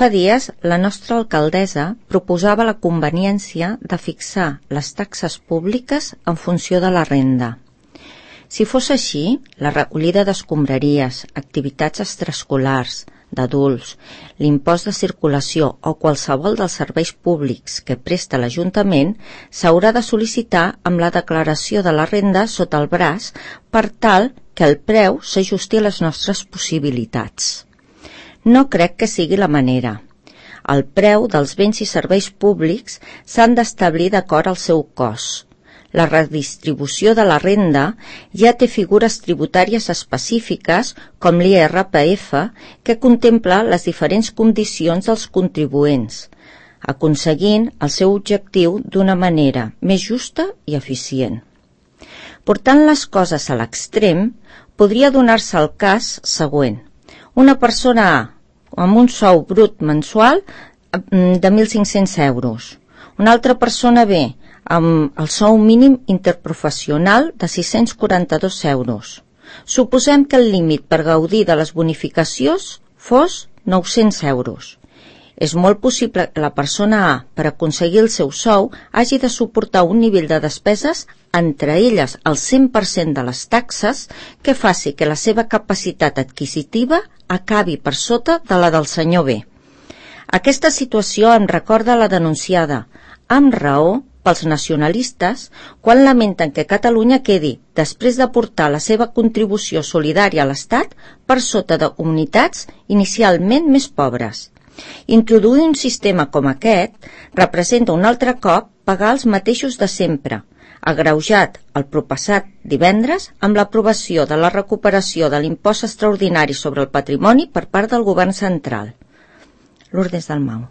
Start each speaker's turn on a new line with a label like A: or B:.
A: fa dies, la nostra alcaldessa proposava la conveniència de fixar les taxes públiques en funció de la renda. Si fos així, la recollida d'escombraries, activitats extraescolars, d'adults, l'impost de circulació o qualsevol dels serveis públics que presta l'Ajuntament s'haurà de sol·licitar amb la declaració de la renda sota el braç per tal que el preu s'ajusti a les nostres possibilitats. No crec que sigui la manera. El preu dels béns i serveis públics s'han d'establir d'acord al seu cost. La redistribució de la renda ja té figures tributàries específiques com l'IRPF que contempla les diferents condicions dels contribuents, aconseguint el seu objectiu d'una manera més justa i eficient. Portant les coses a l'extrem, podria donar-se el cas següent. Una persona A, amb un sou brut mensual de 1.500 euros. Una altra persona B, amb el sou mínim interprofessional de 642 euros. Suposem que el límit per gaudir de les bonificacions fos 900 euros. És molt possible que la persona A, per aconseguir el seu sou, hagi de suportar un nivell de despeses, entre elles el 100% de les taxes, que faci que la seva capacitat adquisitiva acabi per sota de la del senyor B. Aquesta situació em recorda la denunciada, amb raó, pels nacionalistes quan lamenten que Catalunya quedi, després d'aportar la seva contribució solidària a l'Estat, per sota de comunitats inicialment més pobres. Introduir un sistema com aquest representa un altre cop pagar els mateixos de sempre, agreujat el propassat divendres amb l'aprovació de la recuperació de l'impost extraordinari sobre el patrimoni per part del govern central. Lourdes Dalmau.